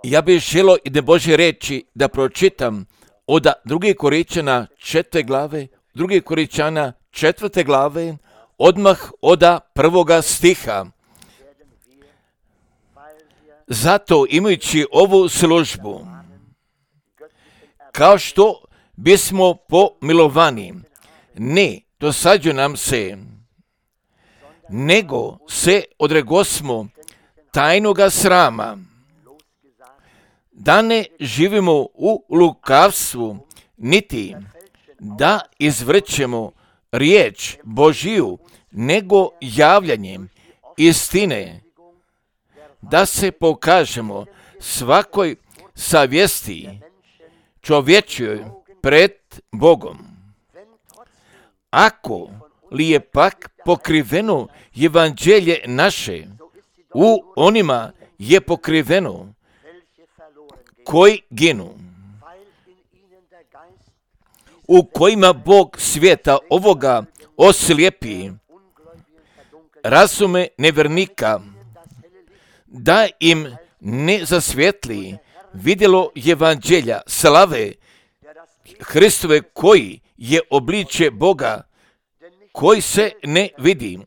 Ja bih želio i da Božje reči da pročitam od 2. Korinčana 4. glave, 2. Korinčana 4. glave, odmah od 1. stiha. Zato imajući ovu službu, kao što bismo pomilovani, ne dosađuje nam se, nego se odregosmo tajnoga srama, da ne živimo u lukavstvu, niti da izvrćemo riječ Božiju, nego javljanjem istine, da se pokažemo svakoj savjesti čovječjoj pred Bogom. Ako li je pak pokriveno evanđelje naše, u onima je pokriveno koji ginu, u kojima Bog svijeta ovoga oslijepi razume nevjernika, da im ne zasvijetli vidjelo evanđelja slave Hristove, koji je obličje Boga, koji se ne vidi,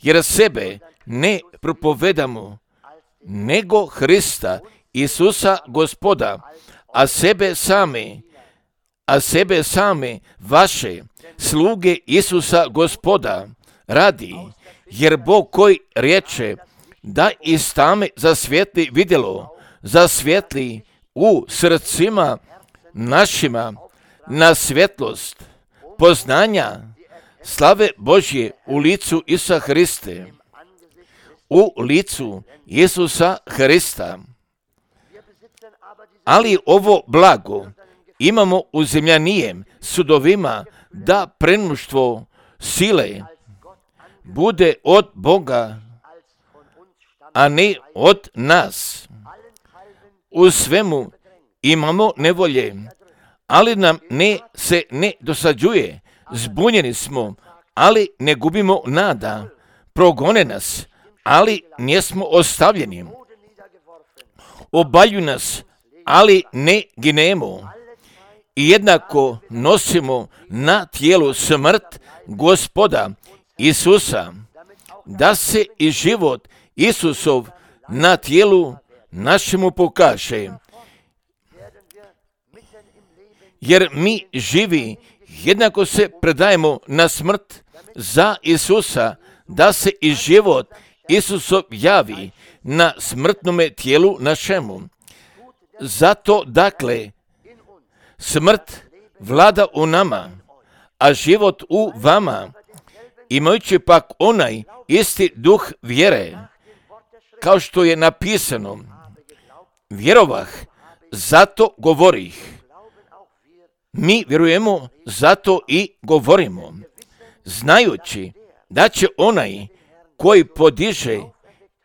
jer sebe ne propovedamo, nego Hrista Isusa Gospoda, a sebe same vaše sluge Isusa Gospoda radi, jer Bog koji riječe da iz tame zasvijetli vidjelo, zasvijetli u srcima našima na svjetlost poznanja slave Božje u licu Isusa Hriste, u licu Isusa Hrista. Ali ovo blago imamo u zemljanijem sudovima, da premnoštvo sile bude od Boga, a ne od nas. U svemu imamo nevolje, ali nam se ne dosađuje. Zbunjeni smo, ali ne gubimo nada. Progone nas, ali nismo ostavljeni. Obalju nas, ali ne ginemo. I jednako nosimo na tijelu smrt Gospoda Isusa, da se i život Isusov na tijelu našemu pokaže. Jer mi živi jednako se predajemo na smrt za Isusa, da se i život Isusov javi na smrtnome tijelu našemu. Zato dakle smrt vlada u nama, a život u vama, imajući pak onaj isti duh vjere, kao što je napisano, vjerovah, zato govorih. Mi vjerujemo, zato i govorimo, znajući da će onaj koji podiže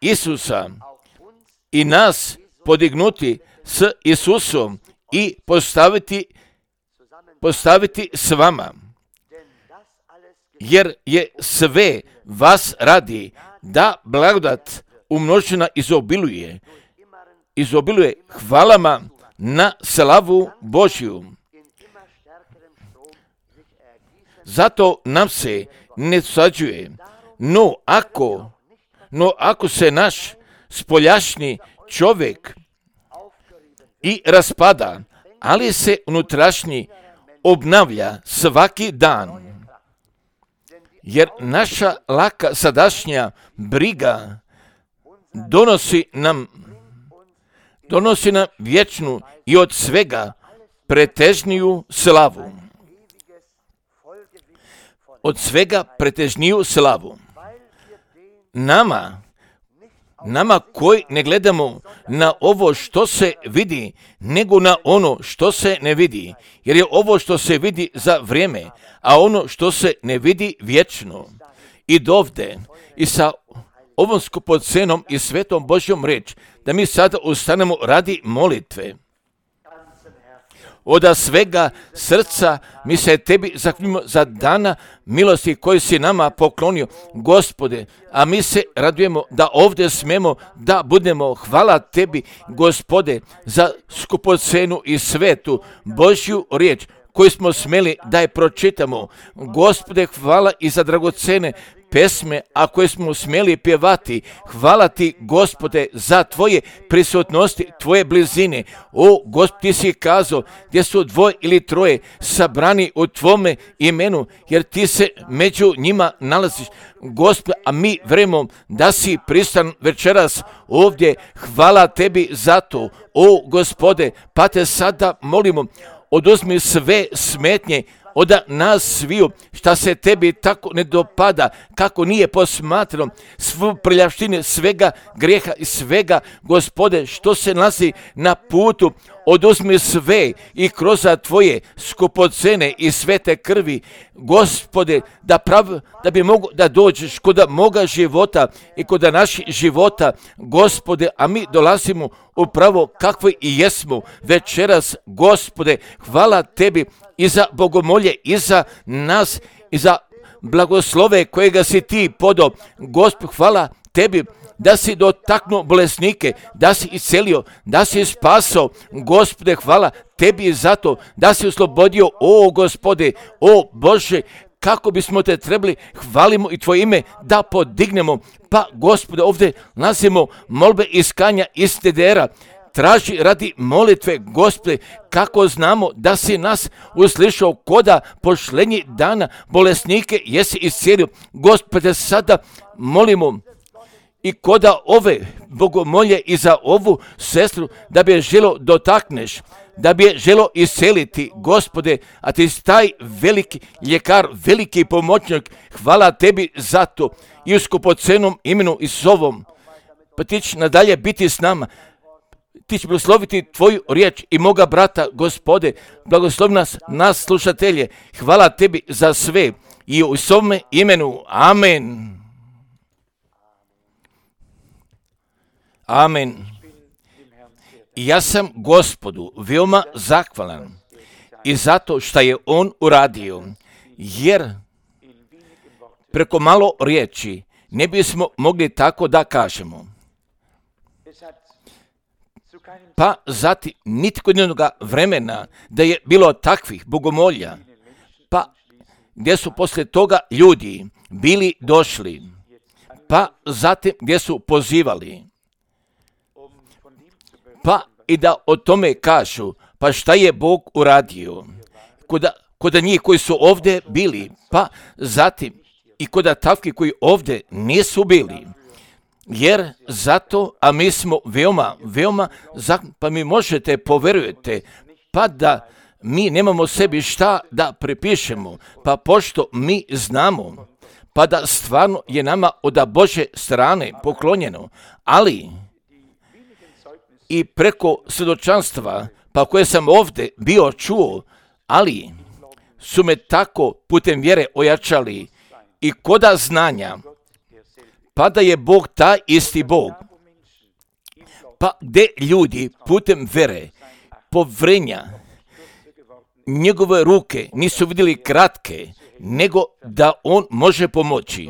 Isusa i nas podignuti s Isusom i postaviti s vama. Jer je sve vas radi da blagodat umnožena izobiluje hvalama na slavu Božju. Zato nam se ne dosađuje, no ako se naš spoljašnji čovjek i raspada, ali se unutrašnji obnavlja svaki dan. Jer naša laka sadašnja briga donosi nam vječnu i od svega pretežniju slavu. Od svega pretežniju slavu. Nama koji ne gledamo na ovo što se vidi, nego na ono što se ne vidi. Jer je ovo što se vidi za vrijeme, a ono što se ne vidi vječno. I dovde, i sa ovom skupocenom i svetom Božjom reč, da mi sada ustanemo radi molitve. od svega srca mi se tebi zahvaljujemo za dana milosti koji si nama poklonio, Gospode, a mi se radujemo da ovdje smemo da budemo. Hvala tebi, Gospode, za skupocenu i svetu Božju riječ koju smo smeli da je pročitamo. Gospode, hvala i za dragocene pesme, a koje smo smjeli pjevati. Hvala ti, Gospode, za tvoje prisutnosti, tvoje blizine. O, Gospod, ti si kazao gdje su dvoje ili troje sabrani u tvome imenu, jer ti se među njima nalaziš, Gospod, a mi vjerujemo da si prisutan večeras ovdje. Hvala tebi za to, o Gospode, pa te sada molimo, oduzmi sve smetnje od nas sviju, šta se tebi tako ne dopada, kako nije posmatrano, svu prljavštine, svega grijeha i svega, Gospode, što se nalazi na putu, oduzmi sve i kroz tvoje skupocene i svete krvi, Gospode, da bi mogo da dođeš kod moga života i kod naših života, Gospode, a mi dolazimo upravo kakvi i jesmo večeras, Gospode. Hvala tebi i za bogomolje, i za nas, i za blagoslove kojega si ti podao. Gospod, hvala tebi da si dotaknuo bolesnike, da si iscelio, da si spasao. Gospode, hvala tebi za to da si oslobodio, o Gospode, o Bože, kako bismo te trebali, hvalimo i tvoje ime da podignemo. Pa, Gospode, ovdje nalazimo molbe iskanja iz TDR-a. Traži radi molitve, Gospode, kako znamo da si nas uslišao koda pošlenji dana bolesnike jesi iscijelio. Gospode, sada molimo i koda ove bogomolje i za ovu sestru da bi je želo dotakneš, da bi je želo isceliti, Gospode, a ti si taj veliki ljekar, veliki pomoćnik. Hvala tebi za to i u skupocenom imenu Isusovom. Pa ti će nadalje biti s nama. Ti će blagosloviti tvoju riječ i moga brata, Gospode, blagoslovi nas slušatelje. Hvala tebi za sve i u svome imenu. Amen. Amen. I ja sam Gospodu veoma zahvalan i zato što je on uradio, jer preko malo riječi ne bismo mogli tako da kažemo. Pa zatim nitko jednog vremena da je bilo takvih bogomolja, pa gdje su poslije toga ljudi bili došli, pa zatim gdje su pozivali, pa i da o tome kažu, pa šta je Bog uradio kod njih koji su ovdje bili, pa zatim i kod takvih koji ovdje nisu bili. Jer zato, a mi smo veoma, pa mi možete povjerujete, pa da mi nemamo sebi šta da pripišemo, pa pošto mi znamo, pa da stvarno je nama od Bože strane poklonjeno, ali i preko svjedočanstva, pa koje sam ovdje bio čuo, ali su me tako putem vjere ojačali i koda znanja, pa da je Bog taj isti Bog. Pa gdje ljudi putem vere, povrenja, njegove ruke nisu vidjeli kratke, nego da on može pomoći.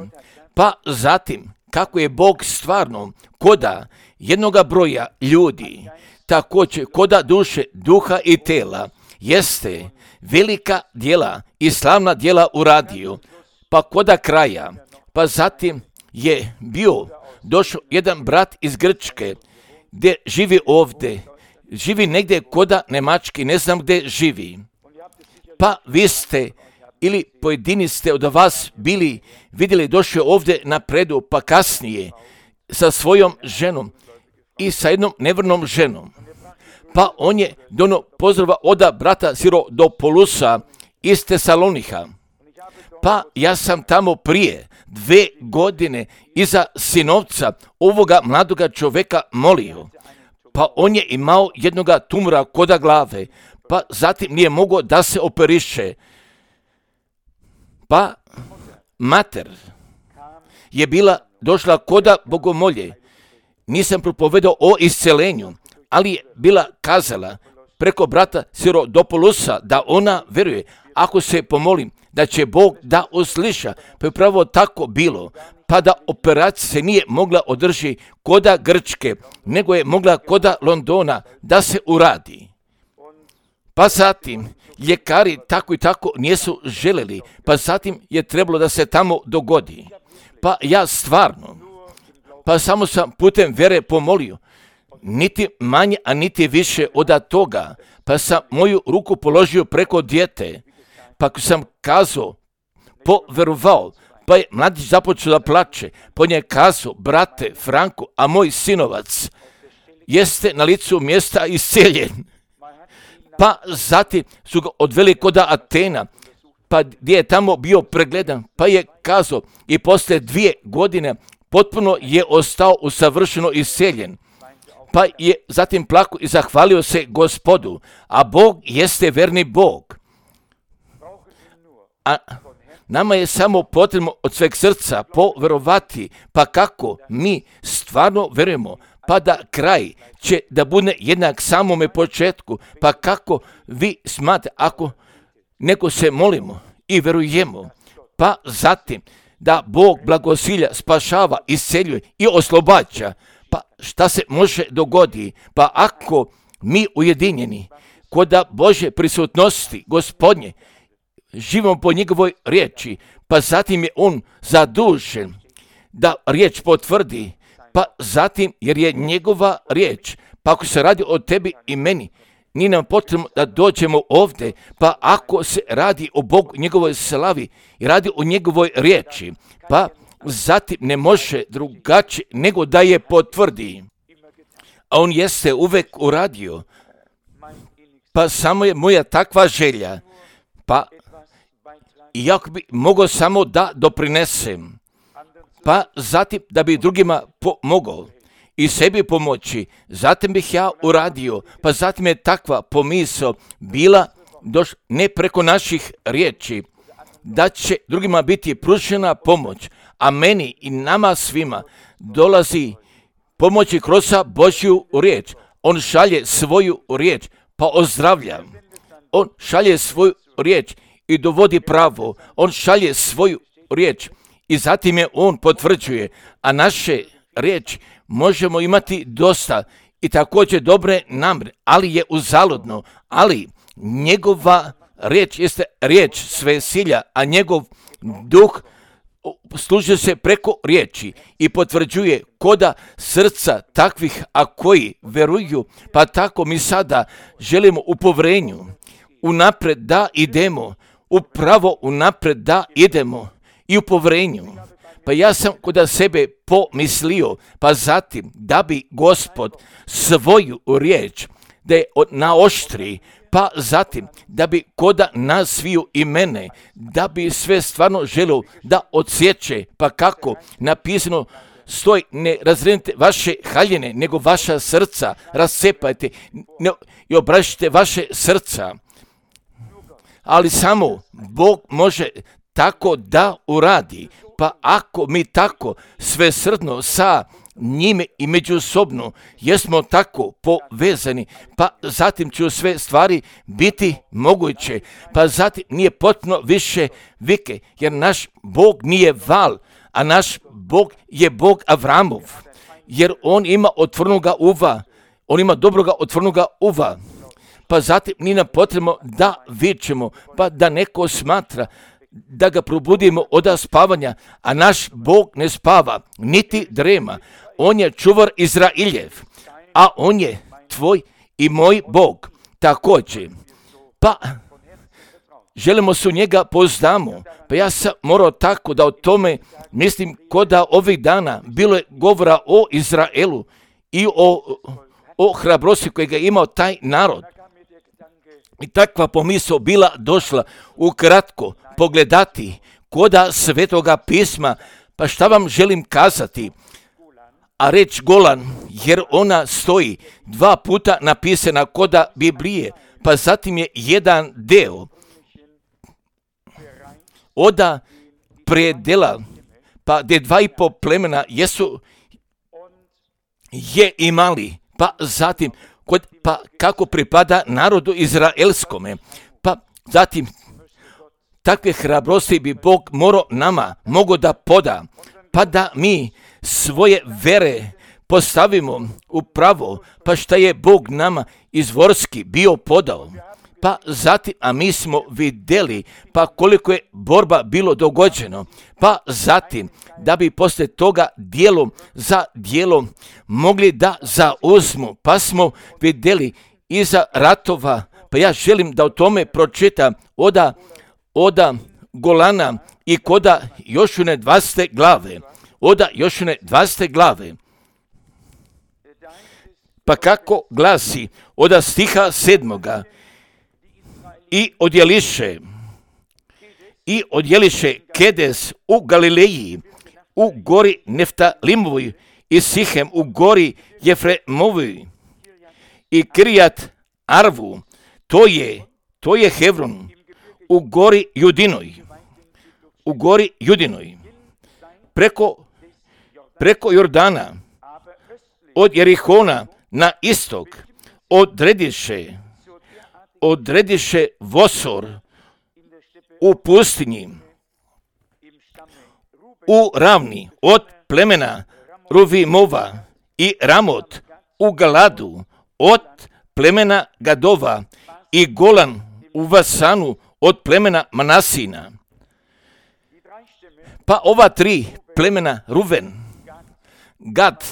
Pa zatim, kako je Bog stvarno koda jednoga broja ljudi, također koda duše, duha i tela, jeste velika djela i slavna djela uradio, pa koda kraja, pa zatim je došao jedan brat iz Grčke, gdje živi ovdje, živi negdje koda Njemački, ne znam gdje živi. Pa vi ste, ili pojedini ste od vas bili, vidjeli, došao ovdje napredu, pa kasnije sa svojom ženom i sa jednom nevrnom ženom. Pa on je dono pozdrava od brata Sirodopolusa iz Tesalonika. Pa ja sam tamo prije 2 godine iza sinovca ovoga mladoga čovjeka molio. Pa on je imao jednoga tumora koda glave, pa zatim nije mogao da se operiše. Pa mater je došla koda bogomolje. Nisam propovedao o iscelenju, ali je bila kazala, preko brata Sirodopolusa da ona veruje. Ako se pomolim da će Bog da usliša, pa je upravo tako bilo. Pa da operacija se nije mogla održi koda Grčke, nego je mogla koda Londona da se uradi. Pa zatim ljekari tako i tako nisu željeli, pa zatim je trebalo da se tamo dogodi. Pa ja stvarno, pa samo sam putem vere pomolio, niti manje, a niti više od toga, pa sam moju ruku položio preko dijete, pa sam kazao, poverovao, pa je mladić započeo da plače, pa je kazao, brate Franko, a moj sinovac jeste na licu mjesta isceljen. Pa zatim su ga odveli kod Atena, pa gdje je tamo bio pregledan, pa je kazao i posle 2 godine potpuno je ostao usavršeno isceljen. Pa je zatim plakao i zahvalio se Gospodu, a Bog jeste verni Bog. A nama je samo potrebno od sveg srca poverovati, pa kako mi stvarno verujemo, pa da kraj će da bude jednak samome početku, pa kako vi smatrate ako neko se molimo i verujemo, pa zatim da Bog blagosilja, spašava, isceljuje i oslobađa, pa šta se može dogodi, pa ako mi ujedinjeni kod Božje prisutnosti Gospodnje, živimo po njegovoj riječi, pa zatim je on zadužen da riječ potvrdi, pa zatim jer je njegova riječ, pa ako se radi o tebi i meni, nije nam potrebno da dođemo ovdje, pa ako se radi o Bogu, njegovoj slavi i radi o njegovoj riječi, pa zatim ne može drugačije nego da je potvrdi. A on jeste uvek uradio, pa samo je moja takva želja, pa iako bi mogao samo da doprinesem, pa zatim da bi drugima pomogao i sebi pomoći, zatim bih ja uradio, pa zatim je takva pomisao bila ne preko naših riječi, da će drugima biti pružena pomoć, a meni i nama svima dolazi pomoći kroz Božju riječ. On šalje svoju riječ, pa ozdravlja. On šalje svoju riječ i dovodi pravo. On šalje svoju riječ i zatim je on potvrđuje, a naše riječi možemo imati dosta i također dobre namjere, ali je uzaludno, ali njegova riječ jeste riječ svesilja, a njegov duh služi se preko riječi i potvrđuje koda srca takvih, a koji veruju, pa tako mi sada želimo u povrenju, unapred da idemo, upravo unapred da idemo i u povrenju. Pa ja sam kod sebe pomislio, pa zatim da bi Gospod svoju riječ da je naoštri, pa zatim da bi koda nas sviju i mene, da bi sve stvarno želio da odsjeće, pa kako napisano stoji, ne razredite vaše haljine, nego vaša srca rascepajte i obraćite vaše srca. Ali samo Bog može tako da uradi, pa ako mi tako svesrdno sa njime i međusobno jesmo tako povezani, pa zatim će sve stvari biti moguće, pa zatim nije potpuno više vike, jer naš Bog nije val, a naš Bog je Bog Avramov, jer on ima otvornoga uva, on ima dobroga otvornoga uva, pa zatim nije nam potrebno da vičemo, pa da neko smatra da ga probudimo od spavanja, a naš Bog ne spava, niti drema. On je čuvar Izrailjev, a on je tvoj i moj Bog također. Pa želimo se u njega poznamo, pa ja sam morao tako da o tome mislim koda ovih dana bilo je govora o Izraelu i o hrabrosti kojega je imao taj narod. I takva pomisao bila došla ukratko pogledati koda Svetoga pisma, pa šta vam želim kazati, a reč Golan, jer ona stoji 2 puta napisana koda Biblije, pa zatim je jedan deo oda predela, pa gdje 2,5 plemena je imali, pa zatim pa kako pripada narodu izraelskome. Pa zatim takve hrabrosti bi Bog mogao da poda, pa da mi svoje vere postavimo u pravo, pa šta je Bog nama izvorski bio podao. Pa zatim, a mi smo vidjeli pa koliko je borba bilo dogođeno, pa zatim da bi poslije toga djelo za djelo mogli da zauzmu, pa smo vidjeli iza ratova, pa ja želim da o tome pročitam oda Golana i koda Jošune 20. glave, oda Jošune 20. glave. Pa kako glasi oda stiha 7. I odjeliše Kedes u Galileji, u gori Neftalimovoj i Sihem u gori Jefremovoj i Kirijat Arvu, to je Hevron u gori Judinoj, preko Jordana, od Jerihona na istok, odrediše Vosor u pustinji, u ravni od plemena Ruvimova i Ramot u Galadu od plemena Gadova i Golan u Vasanu od plemena Manasina. Pa ova 3 plemena Ruven, Gad,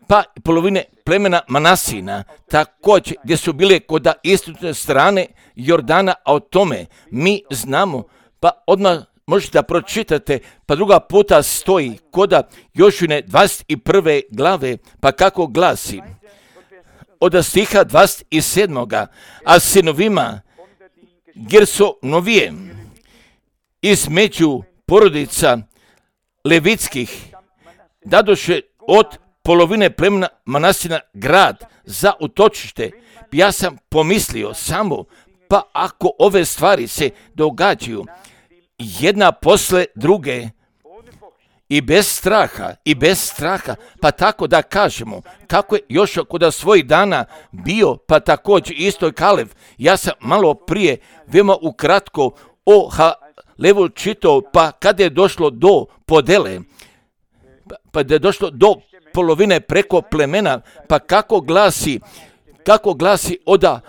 pa polovine plemena Manasina, također gdje su bile kod istočne strane Jordana, a o tome mi znamo, pa odmah možete da pročitate, pa druga puta stoji kod Jošune 21. glave, pa kako glasi, od stiha 27. a sinovima Gersonovijem između porodica levitskih dadoše od polovine plemena Manasina grad za utočište. Ja sam pomislio samo, pa ako ove stvari se događaju jedna posle druge i bez straha, pa tako da kažemo, kako je Jošua kod svojih dana bio, pa također isto i Kalev. Ja sam malo prije, veoma ukratko, o Halevu čitao, pa kada je došlo do podele, pa da je došlo do polovine preko plemena, pa kako glasi oda,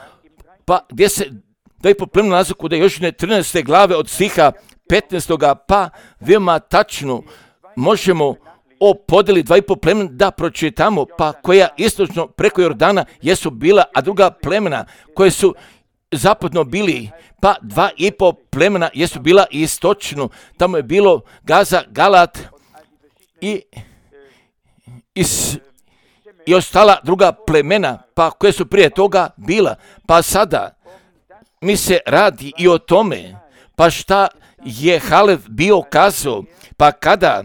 pa gdje se da i po plemenu nalazi kod Jošine 13. glave od stiha 15. pa veoma tačno možemo o podeli 2,5 plemena da pročitamo, pa koja istočno preko Jordana jesu bila, a druga plemena koje su zapadno bili, pa 2,5 plemena jesu bila istočno, tamo je bilo Gaza, Galat i ostala druga plemena, pa koje su prije toga bila, pa sada mi se radi i o tome, pa šta je Halev bio kazao, pa kada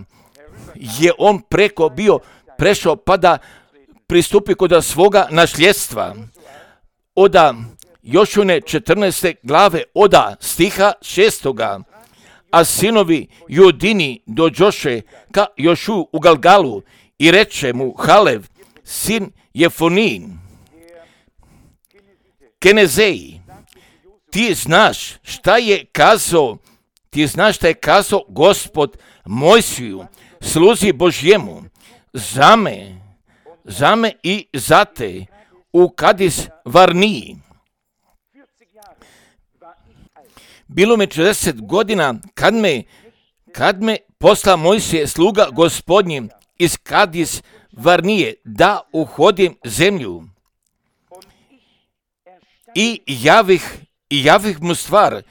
je on prešao pa da pristupi kod svoga nasljedstva, oda Jošune 14. glave, oda stiha 6. A sinovi Judini dođoše ka Jošu u Galgalu i reče mu Halev, sin Jefonin, Kenezeji, ti znaš šta je kazao Gospod Mojsiju, sluzi Božjemu, za me i za te u Kadis Varniji. Bilo mi 40 godina kad me posla Mojsije sluga Gospodnji iz Kadis Varnije da uhodim zemlju i javih mu stvar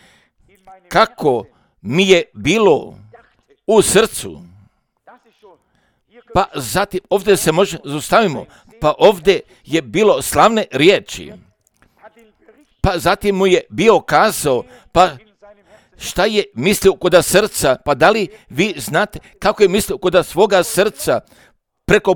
kako mi je bilo u srcu. Pa zatim ovdje se može zaustavimo, pa ovdje je bilo slavne riječi. Pa zatim mu je bio kazao, pa šta je mislio kod srca, pa da li vi znate kako je mislio kod svoga srca, preko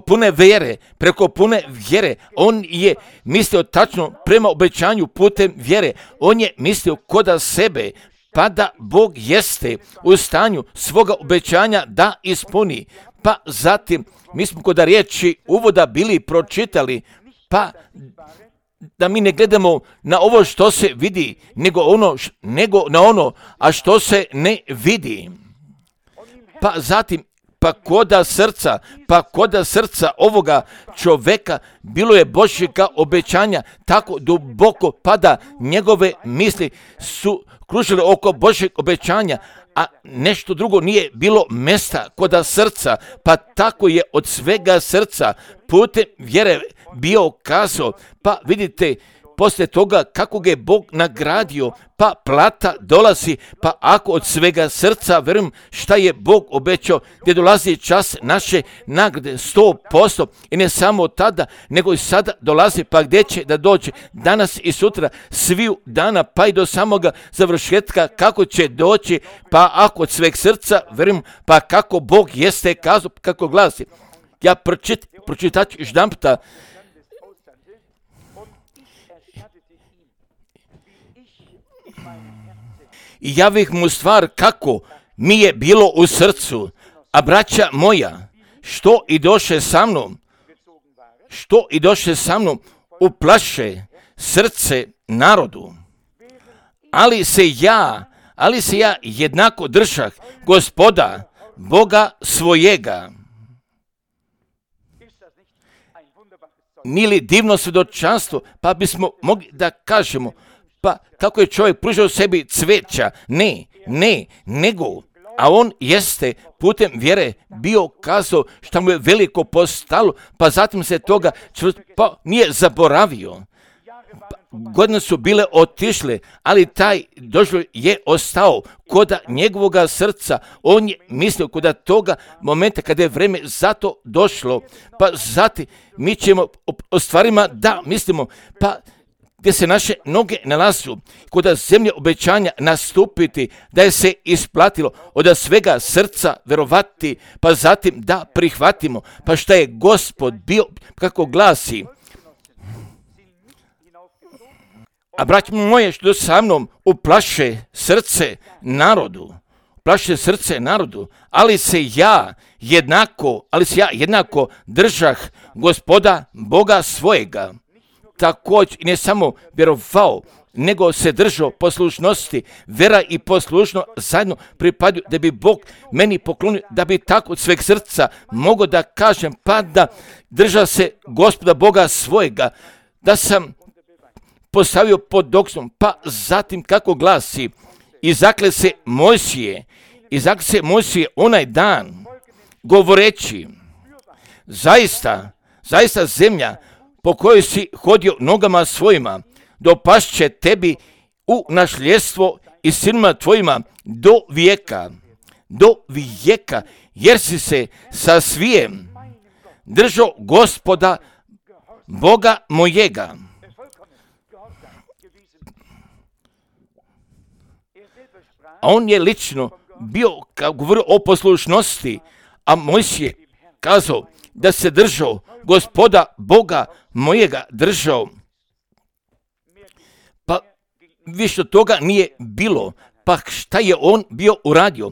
pune vjere, on je mislio tačno prema obećanju putem vjere, on je mislio kod sebe, pa da Bog jeste u stanju svoga obećanja da ispuni. Pa zatim, mi smo kod riječi uvoda bili pročitali, pa da mi ne gledamo na ovo što se vidi, nego na ono, a što se ne vidi. Pa zatim, koda srca ovoga čoveka bilo je Božjega obećanja tako duboko, pa da njegove misli su kružile oko Božjeg obećanja, a nešto drugo nije bilo mesta koda srca, pa tako je od svega srca putem vjere bio kazao. Pa vidite, poslije toga kako ga je Bog nagradio, pa plata dolazi, pa ako od svega srca verujem šta je Bog obećao, gdje dolazi čas naše nagrade 100%, i ne samo tada, nego i sada dolazi, pa gdje će da dođe danas i sutra, sviju dana, pa i do samoga završetka, kako će doći, pa ako od sveg srca verujem, pa kako Bog jeste kazao, kako glasi. Ja pročitat ću jedanputa. I javih mu stvar kako mi je bilo u srcu, a braća moja, što i doše sa mnom, uplaše srce narodu. Ali se ja jednako držah Gospoda, Boga svojega. Nije li divno svjedočanstvo, pa bismo mogli da kažemo, pa kako je čovjek pružao sebi cveća, nego, a on jeste putem vjere bio kazao što mu je veliko postalo, pa zatim se toga pa nije zaboravio. Godine su bile otišle, ali taj doživljaj je ostao koda njegovoga srca. On je mislio koda toga momenta kada je vreme za to došlo, pa zatim mi ćemo o stvarima da mislimo, pa gdje se naše noge nalazu, koda zemlje obećanja nastupiti, da je se isplatilo od svega srca verovati, pa zatim da prihvatimo, pa šta je Gospod bio, kako glasi. A braći moje, što sa mnom uplaše srce narodu, ali se ja jednako držah Gospoda Boga svojega. Također ne samo vjerovao, nego se držao poslušnosti. Vera i poslušno zajedno pripadaju, da bi Bog meni poklonio, da bi tako od sveg srca mogao da kažem, pa da drža se Gospoda Boga svojega, da sam postavio pod doksom, pa zatim kako glasi, i zakle se Mojsije onaj dan, govoreći, zaista zemlja po kojoj si hodio nogama svojima, dopašće tebi u nasljedstvo i sinima tvojima do vijeka, jer si se sa svijem držao Gospoda Boga mojega. A on je lično bio, kao govorio o poslušnosti, a Mojsije kazao da se držao Gospoda Boga mojega držao. Pa više toga nije bilo, pa šta je on bio uradio?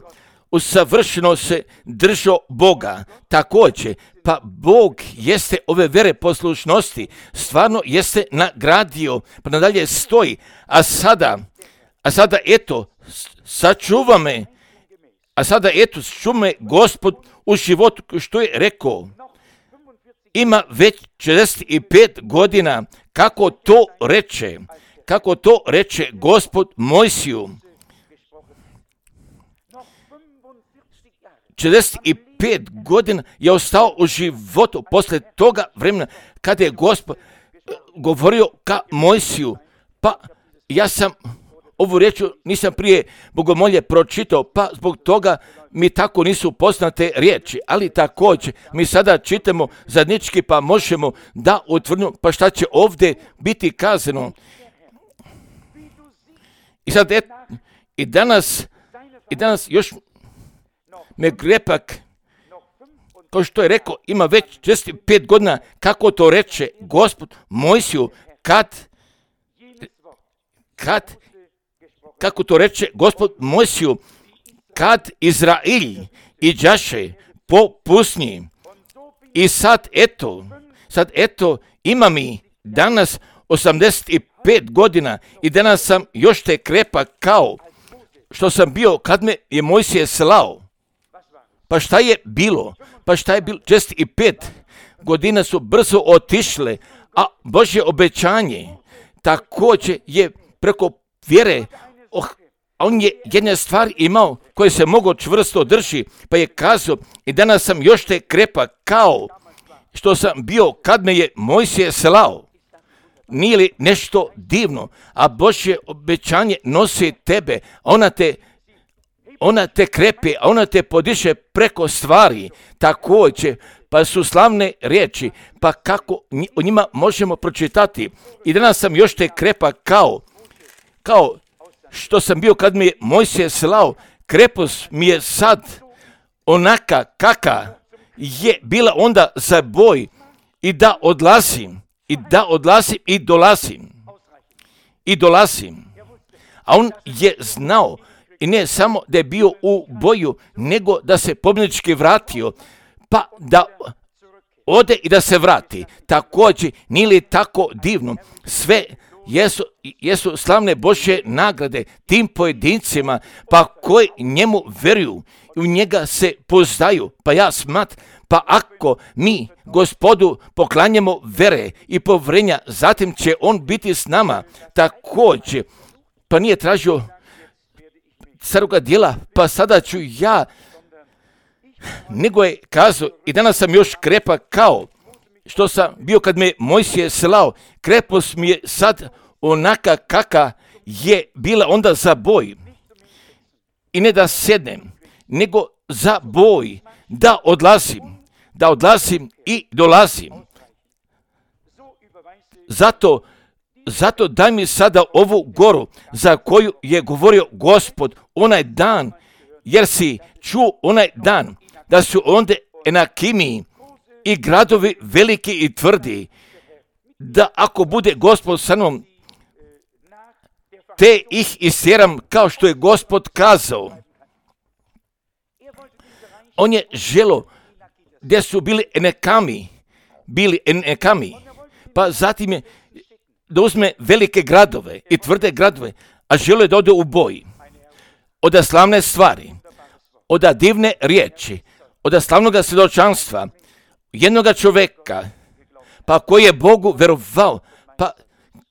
Usavršeno se držao Boga. Također, pa Bog jeste ove vere poslušnosti, stvarno jeste nagradio, pa nadalje stoji, a sada eto, sačuva me, Gospod u životu, što je rekao. Ima već 45 godina, kako to reče Gospod Mojsiju. 45 godina je ostao u životu posle toga vremena kada je Gospod govorio ka Mojsiju. Pa ja sam ovu riječ nisam prije bogomolje pročitao, pa zbog toga mi tako nisu poznate riječi, ali također mi sada čitamo zajednički, pa možemo da utvrdimo, pa šta će ovdje biti kazano. I sad i danas još me grepak, kao što je rekao, ima već 45 godina, kako to reče Gospod Mojsiju, kako to reče Gospod Mojsiju, kad Izrail iđaše po pustinji. I sad eto, ima mi danas 85 godina i danas sam još te krepak kao što sam bio kad me je Mojsije slao. Pa šta je bilo? 65 godina su brzo otišle, a Božje obećanje također je preko vjere. On je jedne stvari imao koje se mogo čvrsto drži, pa je kazao i danas sam još te krepak kao što sam bio kad me je Mojsije slao. Nije li nešto divno? A Božje obećanje nosi tebe, ona te krepi, a ona te podiše preko stvari. Također, pa su slavne riječi, pa kako o njima možemo pročitati. I danas sam još te krepak kao što sam bio kad mi je Mojsije slao. Krepost mi je sad onaka kaka je bila onda za boj i da odlazim i dolazim. A on je znao i ne samo da je bio u boju, nego da se pobjednički vratio, pa da ode i da se vrati. Također, nije li tako divno? Sve jesu slavne Božje nagrade tim pojedincima, pa koji njemu vjeruju i u njega se poznaju. Pa ja smatram, pa ako mi Gospodu poklanjamo vere i povjerenja, zatim će on biti s nama. Također, pa nije tražio staroga djela, pa sada ću ja, nego je kazao i danas sam još krepak kao što sam bio kad me Mojsije slao. Krepost mi je sad onaka kaka je bila onda za boj. I ne da sjednem, nego za boj, da odlazim i dolazim. Zato daj mi sada ovu goru za koju je govorio Gospod onaj dan, jer si čuo onaj dan da su onda Enakimi i gradovi veliki i tvrdi, da ako bude Gospod sa mnom, te ih istjeram kao što je Gospod kazao. On je želo gdje su bili Enekami, pa zatim je da uzme velike gradove i tvrde gradove, a želo je da ode u boj. Oda slavne stvari, oda divne riječi, oda slavnoga svjedočanstva, jednoga čovjeka, pa koji je Bogu verovao, pa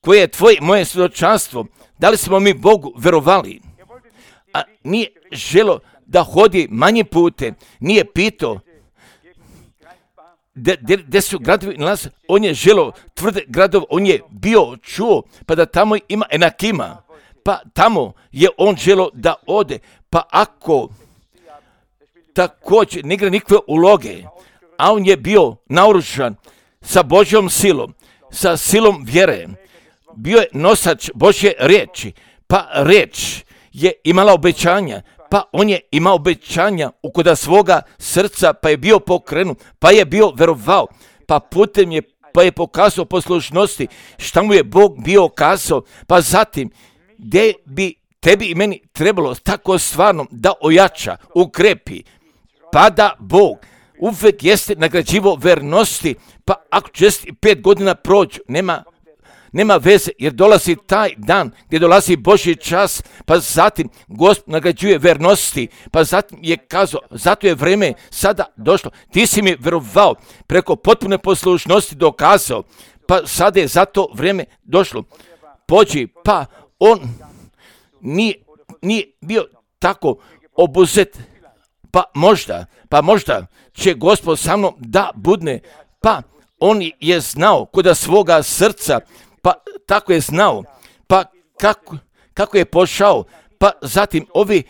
koje je moje svjedočanstvo, da li smo mi Bogu verovali? A nije želo da hodi manje pute, nije pitao gdje su gradovi nalaze, on je želo tvrde gradove, on je bio čuo, pa da tamo ima Enakima, pa tamo je on želo da ode, pa ako također ne igra nikakve uloge, a on je bio naoružan sa Božjom silom, sa silom vjere, bio je nosač Božje riječi, pa riječ je imala obećanja, pa on je imao obećanja ukoda svoga srca, pa je bio pokrenut, pa je bio verovao, pa putem je, pa je pokazao poslušnosti, šta mu je Bog bio kazao, pa zatim, gdje bi tebi i meni trebalo tako stvarno da ojača, ukrepi, pa da Bog uvijek jeste nagrađivo vernosti, pa ako 5 godina prođu, nema veze, jer dolazi taj dan gdje dolazi Božji čas, pa zatim Gospod nagrađuje vernosti, pa zatim je kazao, zato je vrijeme sada došlo, ti si mi verovao, preko potpune poslušnosti dokazao, pa sada je zato vrijeme došlo, pođi, pa on nije bio tako obuzet, pa možda će Gospod sa mnom da budne, pa on je znao koda svoga srca, pa tako je znao, pa kako je pošao, pa zatim ovi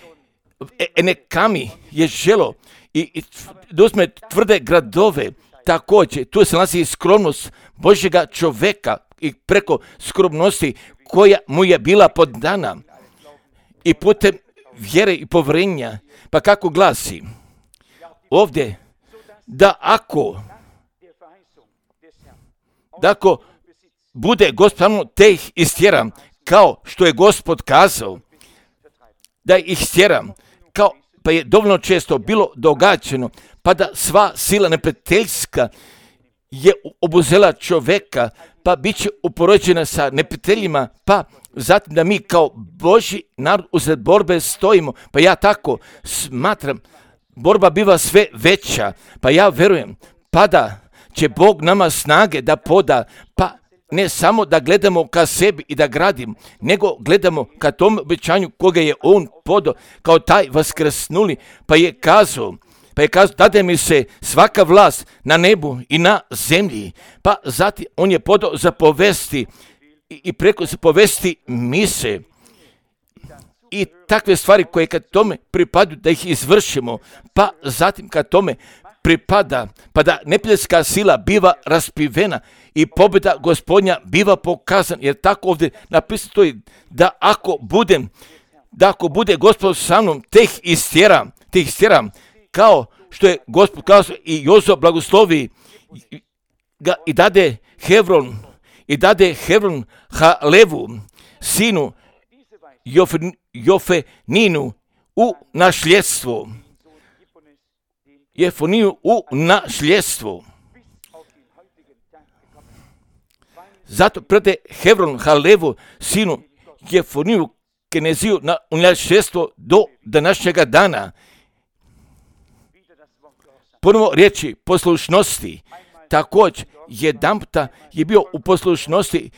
Enekami je želo i da uzme tvrde gradove, također tu se nalazi skromnost Božjega čovjeka i preko skromnosti koja mu je bila podana i putem vjere i povjerenja, pa kako glasi ovdje, da ako bude Gospod te ih istjeram, kao što je Gospod kazao, da ih istjeram, kao pa je dovoljno često bilo događeno, pa da sva sila neprijateljska je obuzela čovjeka, pa bit će uporođena sa neprijateljima, pa zatim da mi kao Božji narod usred borbe stojimo, pa ja tako smatram, borba biva sve veća, pa ja verujem, pa da će Bog nama snage da poda, pa ne samo da gledamo ka sebi i da gradimo, nego gledamo ka tom obećanju koga je On podao kao taj vaskrsnuli, pa je kazao, dade mi se svaka vlast na nebu i na zemlji, pa zatim On je podao zapovesti i preko zapovesti mise i takve stvari koje kad tome pripadaju da ih izvršimo, pa zatim kad tome pripada, pa da neprijateljska sila biva raspivena i pobjeda Gospodnja biva pokazana, jer tako ovdje napisano stoji da ako bude Gospod sa mnom, te ih istjeram, kao što je Gospod kazao i Jozo blagoslovi ga i dade Hebron Halevu, sinu Jofeninu u nasljedstvo. Jefoniju u nasljedstvo. Zato prede Hebron Halevu, sinu Jefoniju Keneziju u nasljedstvo do današnjega dana. Ponovo riječi poslušnosti. Također, jedanputa je bio u poslušnosti,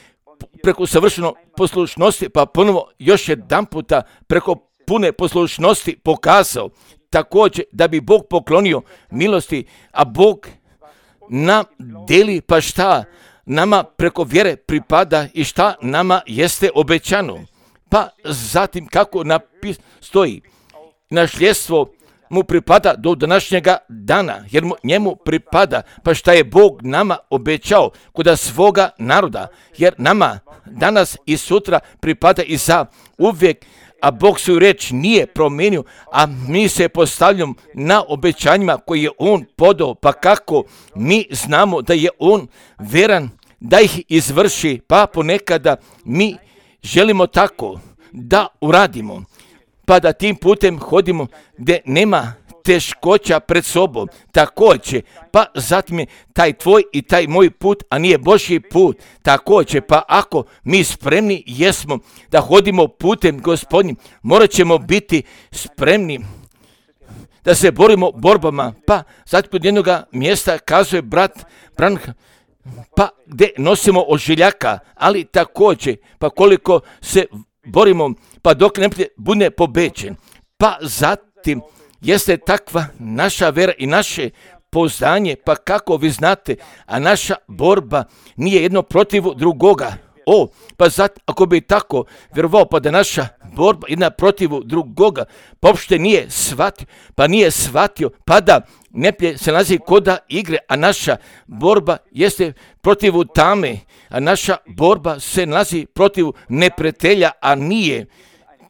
preko savršeno poslušnosti, pa ponovo još jedanputa preko pune poslušnosti pokazao. Također, da bi Bog poklonio milosti, a Bog nam deli, pa šta nama preko vjere pripada i šta nama jeste obećano. Pa zatim kako stoji, nasljedstvo mu pripada do današnjega dana, jer njemu pripada, pa šta je Bog nama obećao kod svoga naroda, jer nama danas i sutra pripada i za uvijek, a Bog svoju riječ nije promijenio, a mi se postavljamo na obećanjima koje je On podao, pa kako mi znamo da je On veran da ih izvrši, pa ponekada mi želimo tako da uradimo, pa da tim putem hodimo gdje nema teškoća pred sobom. Također, pa zatim je taj tvoj i taj moj put, a nije Božji put. Također, pa ako mi spremni jesmo da hodimo putem Gospodnjim, morat ćemo biti spremni da se borimo borbama. Pa zatim kod jednog mjesta kazuje brat Branham, pa gdje nosimo ožiljaka, ali također, pa koliko se borimo, pa dok ne bude pobeđen. Pa zatim jeste takva naša vera i naše pouzdanje, pa kako vi znate, a naša borba nije jedno protiv drugoga. Pa zatim, ako bi tako vjerovao, pa da naša borba jedna protiv drugoga, pa uopšte nije shvatio, pa da neplje se nalazi koda igre, a naša borba jeste protiv tame, a naša borba se nalazi protiv neprijatelja, a nije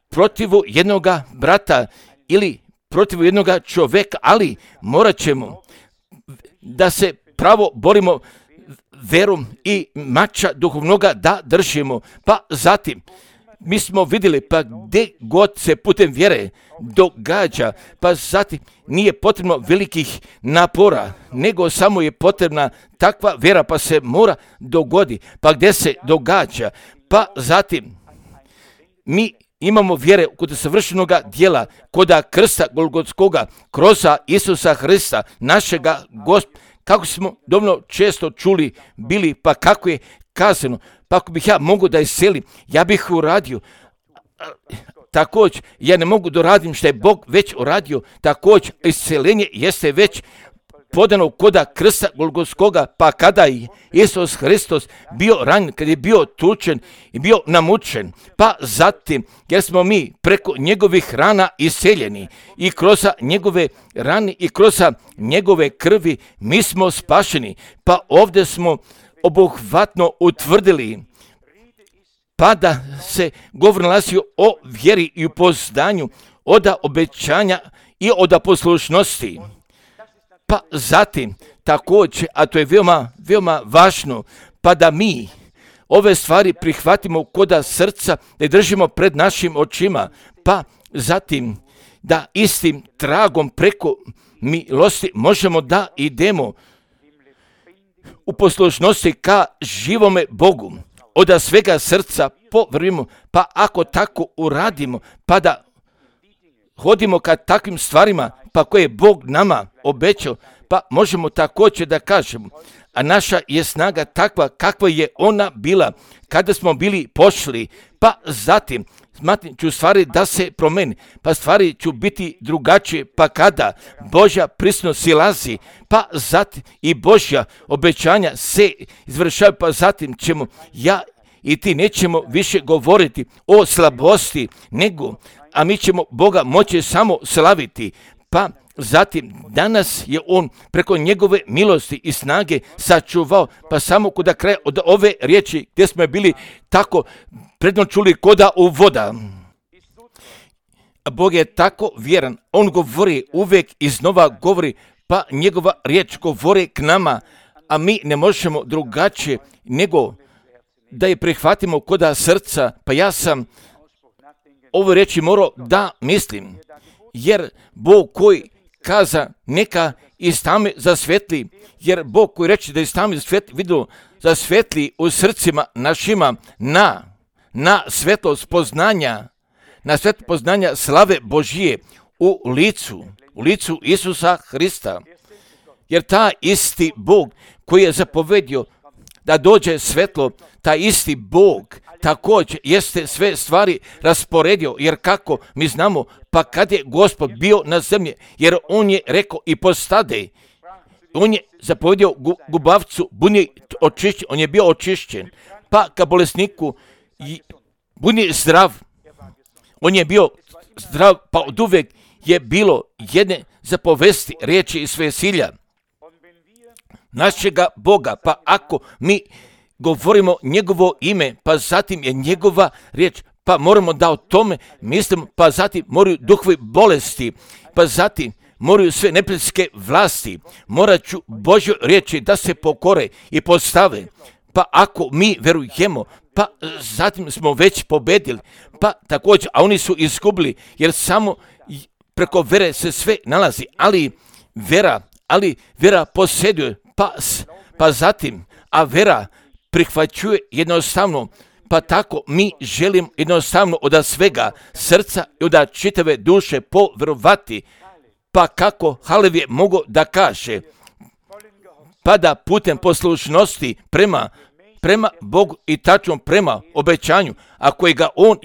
protiv jednoga brata ili protiv jednoga čovjeka, ali morat ćemo da se pravo borimo verom i mača duhovnoga da držimo. Pa zatim, mi smo vidjeli, pa gdje god se putem vjere događa, pa zatim nije potrebno velikih napora, nego samo je potrebna takva vjera, pa se mora dogodi. Pa gdje se događa, pa zatim mi imamo vjere kod savršenoga djela, kod krsta Golgotskoga, kroz Isusa Hrista, našega Gospoda, kako smo dovoljno često čuli bili, pa kako je kazano, pa ako bih ja mogu da iselim, ja bih uradio. Također, ja ne mogu da radim što je Bog već uradio, također, iseljenje jeste već podano koda krsta Golgotskoga, pa kada je Isus Hristos bio ranjen, kad je bio tučen i bio namučen, pa zatim, jer smo mi preko njegovih rana iseljeni i kroz njegove rane i kroz njegove krvi mi smo spašeni, pa ovdje smo obuhvatno utvrdili, pa da se govor nalazi o vjeri i upoznanju, od obećanja i od poslušnosti. Pa zatim, također, a to je veoma, veoma važno, pa da mi ove stvari prihvatimo koda srca, da ih držimo pred našim očima, pa zatim da istim tragom preko milosti možemo da idemo u poslušnosti ka živome Bogu, od svega srca povrimo, pa ako tako uradimo, pa da hodimo ka takvim stvarima, pa koje je Bog nama obećao, pa možemo također da kažemo, a naša je snaga takva kakva je ona bila kada smo bili pošli, pa zatim ću stvari da se promeni, pa stvari ću biti drugačije, pa kada Božja prisutnost silazi, pa zatim i Božja obećanja se izvršavaju, pa zatim ćemo ja i ti nećemo više govoriti o slabosti, a mi ćemo Boga moći samo slaviti, pa zatim danas je on preko njegove milosti i snage sačuvao, pa samo kuda kraja od ove riječi gdje smo bili tako predno čuli koda u voda. Bog je tako vjeran, on govori uvijek iznova govori, pa njegova riječ govori k nama, a mi ne možemo drugačije nego da je prihvatimo koda srca, pa ja sam ove riječi morao da mislim, jer Bog koji kaza neka iz tame zasvetli, jer Bog koji reče da iz tame zasvetli u srcima našima na svetlost poznanja, na svetlost poznanja slave Božije u licu Isusa Hrista. Jer ta isti Bog koji je zapovedio da dođe svetlo, taj isti Bog također jeste sve stvari rasporedio, jer kako mi znamo, pa kad je Gospod bio na zemlji, jer on je rekao i postade, on je zapovedio gubavcu, on je bio očišćen, pa ka bolesniku buni zdrav, on je bio zdrav, pa od uvijek je bilo jedne zapovesti riječi iz vesilja našega Boga, pa ako mi govorimo njegovo ime, pa zatim je njegova riječ, pa moramo da o tome mislimo, pa zatim moraju duhovi bolesti, pa zatim moraju sve neprijateljske vlasti, morat ću Božju riječi da se pokore i postave, pa ako mi verujemo, pa zatim smo već pobedili, pa također, a oni su izgubili, jer samo preko vere se sve nalazi, ali vera posjeduje, pa zatim, a vera prihvaćuje jednostavno, pa tako mi želimo jednostavno od svega srca i od čitave duše povjerovati, pa kako Halev je mogo da kaže, pa da putem poslušnosti prema Bogu i tačno prema obećanju, a kojega on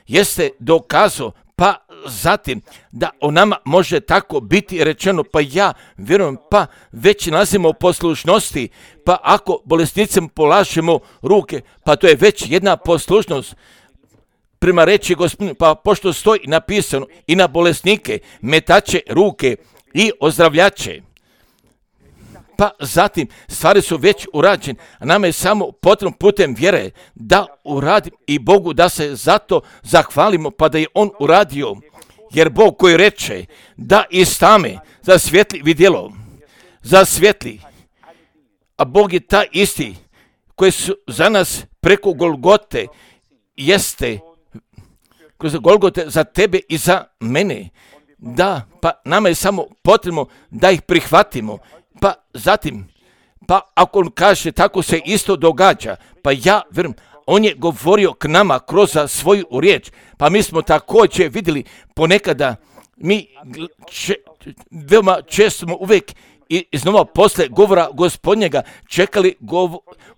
jeste dokazao, pa zatim da o nama može tako biti rečeno, pa ja vjerujem, pa već nalazimo u poslušnosti, pa ako bolesnicima polažemo ruke, pa to je već jedna poslušnost prema reći Gospodinu, pa pošto stoji napisano i na bolesnike metače ruke i ozdravljače. Pa zatim stvari su već urađene, a nama je samo potrebno putem vjere da uradimo i Bogu da se zato zahvalimo, pa da je on uradio. Jer Bog koji reče da iz tame zasvijetli vidjelo, zasvijetli, a Bog je taj isti koji su za nas preko Golgote jeste, kroz Golgote za tebe i za mene. Da, pa nama je samo potrebno da ih prihvatimo. Pa zatim, pa ako on kaže tako se isto događa, pa ja vjerujem, on je govorio k nama kroz svoju riječ, pa mi smo također vidjeli ponekada, mi veoma često smo uvijek iznova posle govora Gospodnjega čekali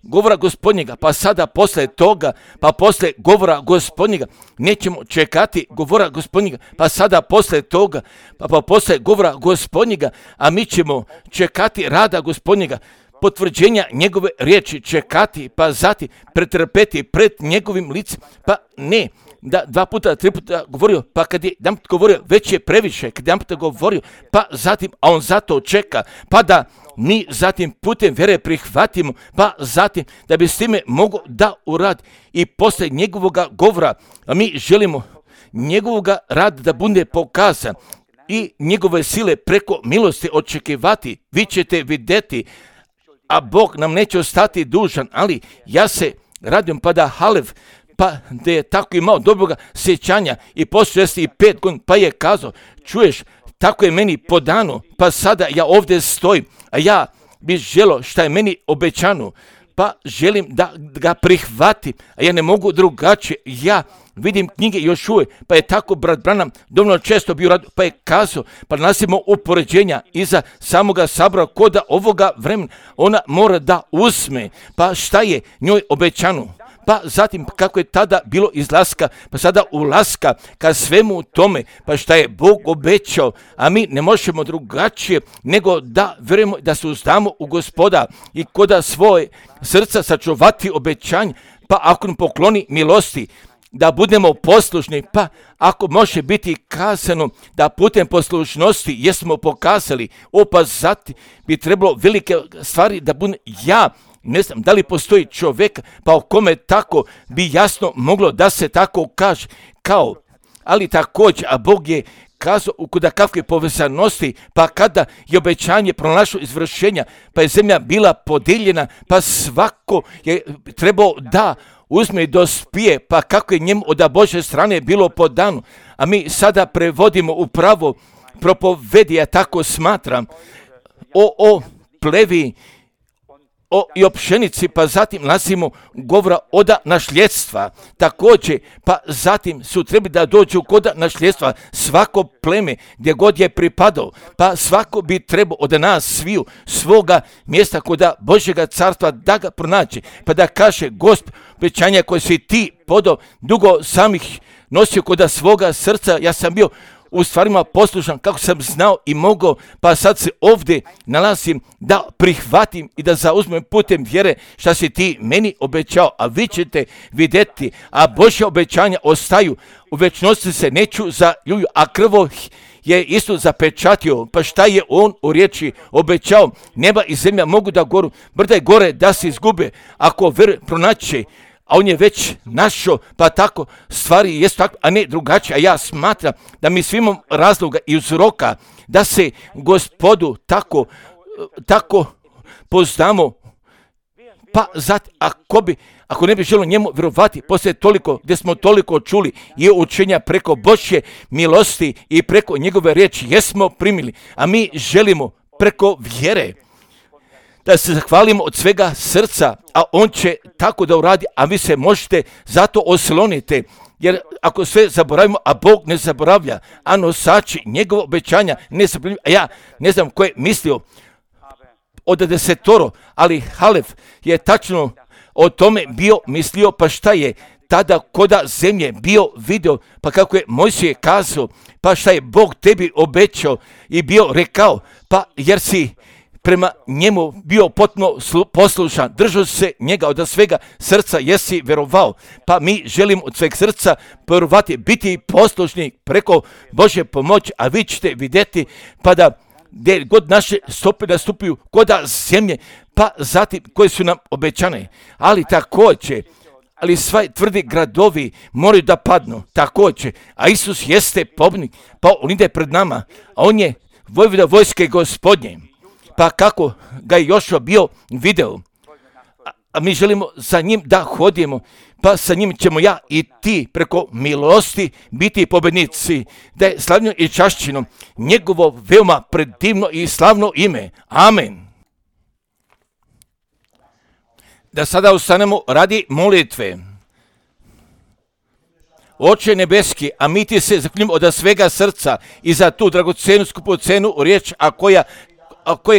govora Gospodnjega, pa sada posle toga, pa posle govora Gospodnjega nećemo čekati govora Gospodnjega, pa sada posle toga, pa posle govora Gospodnjega, a mi ćemo čekati rada Gospodnjega, potvrđenja njegove riječi, čekati, pa zatim pretrpeti pred njegovim licem, pa ne da 2 puta, 3 puta govorio, pa kad je jedan put govorio, već je previše, kad je jedan puta govorio, pa zatim, a on zato čeka, pa da mi zatim putem vjere prihvatimo, pa zatim da bi s time mogo da uradi i posle njegovoga govora, a mi želimo njegovoga rada da bude pokazan i njegove sile preko milosti očekivati, vi ćete vidjeti, a Bog nam neće ostati dužan, ali ja se radim pa da Halev, pa da je tako imao dobroga sjećanja i poslije 65 godina, pa je kazao, čuješ, tako je meni podano, pa sada ja ovdje stojim, a ja bi želo šta je meni obećano, pa želim da ga prihvatim, a ja ne mogu drugačije. Ja vidim knjige još uvijek, pa je tako brat Branham dovoljno često bio radio, pa je kazao, pa nasimo upoređenja iza samoga sabora koda ovoga vremena. Ona mora da uzme, pa šta je njoj obećano. Pa zatim kako je tada bilo izlaska, pa sada ulaska ka svemu tome, pa šta je Bog obećao, a mi ne možemo drugačije nego da vjerujemo da se uzdamo u Gospoda i koda svoje srca sačuvati obećanje, pa ako nam pokloni milosti, da budemo poslušni, pa ako može biti kazano da putem poslušnosti jesmo pokazali, pa zatim bi trebalo velike stvari da bude ja. Ne znam da li postoji čovjek pa o kome tako bi jasno moglo da se tako kaže kao, ali također, a Bog je kazao kod kakve povezanosti, pa kada je obećanje pronašlo izvršenja, pa je zemlja bila podijeljena, pa svako je trebao da uzme i dospije, pa kako je njemu od Božje strane bilo podano, a mi sada prevodimo upravo propovedi, ja tako smatram, o plevi, i o pšenici, pa zatim nalazimo govora oda nasljedstva. Također, pa zatim su trebali da dođu kod nasljedstva svako pleme gdje god je pripadao, pa svako bi trebao od nas sviju svoga mjesta kod Božjega carstva da ga pronaći, pa da kaže Gospod, obećanja koje si ti podao, dugo sam ih nosio kod svoga srca, ja sam bio u stvarima poslušan kako sam znao i mogao, pa sad se ovdje nalazim da prihvatim i da zauzmem putem vjere šta si ti meni obećao, a vi ćete vidjeti, a Božja obećanja ostaju, u večnosti se neću zaljuju, a krvo je isto zapečatio, pa šta je on u riječi obećao, neba i zemlja mogu da goru, brda i gore da se izgube, ako pronaće, a on je već našao, pa tako stvari jesu tako, a ne drugačije. A ja smatram da mi svi imamo razloga i uzroka da se Gospodu tako poznamo, pa zato ako ne bi želo njemu vjerovati, poslije toliko, gdje smo toliko čuli i učenja preko Božje milosti i preko njegove riječi, jesmo primili, a mi želimo preko vjere da se zahvalimo od svega srca, a on će tako da uradi, a vi se možete zato osloniti, jer ako sve zaboravimo, a Bog ne zaboravlja, a nosači njegova obećanja ne zaboravljaju, a ja ne znam ko je mislio od 10, ali Halef je tačno o tome bio mislio, pa šta je tada koda zemlje bio video, pa kako je Mojsije kazao, pa šta je Bog tebi obećao i bio rekao, pa jer si prema njemu bio potpuno poslušan, držao se njega od svega srca, jesi vjerovao, pa mi želimo od sveg srca vjerovati, biti poslušni preko Božje pomoći, a vi ćete vidjeti, pa da gdje god naše stope nastupaju koda zemlje, pa zatim koje su nam obećane, ali također, ali svi tvrdi gradovi moraju da padnu, također, a Isus jeste pobjednik, pa on ide pred nama, a on je vojvoda vojske Gospodnje. Pa kako ga je Jošua bio video, a mi želimo za njim da hodimo, pa sa njim ćemo ja i ti preko milosti biti pobjednici, da je slavno i čašćeno njegovo veoma predivno i slavno ime. Amen. Da sada ustanemo radi molitve. Oče nebeski, a mi ti se zahvaljujemo od svega srca i za tu dragocenu skupocenu riječ, a koja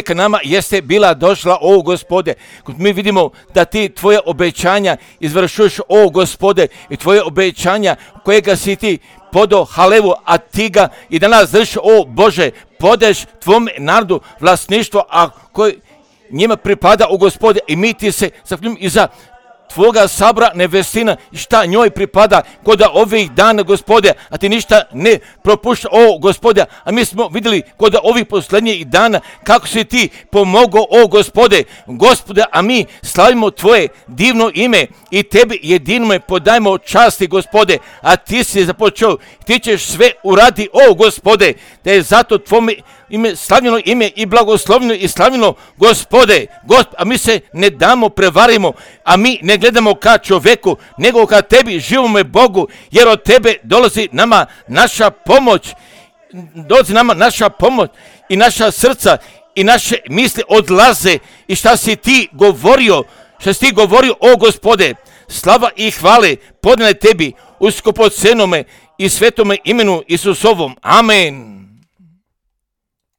k nama jeste bila došla, o Gospode. Mi vidimo da ti tvoje obećanja izvršuješ, o Gospode, i tvoje obećanja kojega si ti podao Halevu, a ti ga i danas držiš, o Bože, podeš tvom narodu vlasništvo, a koji njima pripada, o Gospode, i mi ti se zahvaljujemo i za tvoga sabora nevestina, šta njoj pripada kod ovih dana, Gospode, a ti ništa ne propušta, o Gospode, a mi smo vidjeli kod ovih posljednjih dana kako si ti pomogao, o Gospode, a mi slavimo tvoje divno ime i tebi jedinome podajmo časti, Gospode, a ti si započeo, ti ćeš sve uradi, o Gospode, da je zato tvome ime, slavljeno ime i blagoslovljeno i slavljeno, Gospode, a mi se ne damo, prevarimo, a mi ne gledamo ka čovjeku, nego ka tebi, živome Bogu, jer od tebe dolazi nama naša pomoć i naša srca i naše misli odlaze i šta si ti govorio, o Gospode, slava i hvale podnele tebi u skupocenome i svetome imenu Isusovom. Amen.